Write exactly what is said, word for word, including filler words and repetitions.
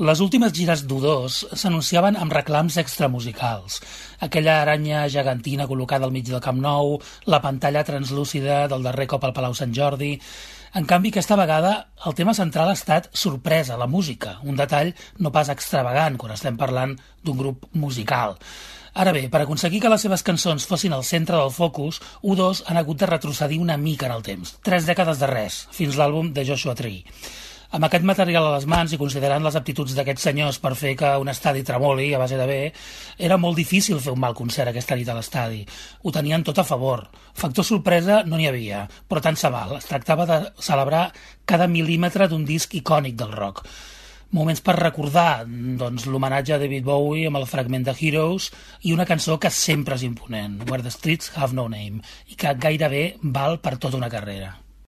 Les últimes gires d'U dos s'anunciaven amb reclams extramusicals. Aquella aranya gegantina col·locada al mig del Camp Nou, la pantalla translúcida del darrer cop al Palau Sant Jordi... En canvi, aquesta vegada, el tema central ha estat sorpresa, la música, un detall no pas extravagant quan estem parlant d'un grup musical. Ara bé, per aconseguir que les seves cançons fossin al centre del focus, U dos han hagut de retrocedir una mica en el temps, tres dècades de res, fins l'àlbum de Joshua Tree. Amb aquest material a les mans i considerant les aptituds d'aquests senyors per fer que un estadi tremoli a base de bé, era molt difícil fer un mal concert aquesta nit a l'estadi. Ho tenien tot a favor. Factor sorpresa no n'hi havia, però tant se val. Es tractava de celebrar cada mil·límetre d'un disc icònic del rock. Moments per recordar doncs, l'homenatge a David Bowie amb el fragment de Heroes i una cançó que sempre és imponent, Where the Streets Have No Name, i que gairebé val per tota una carrera.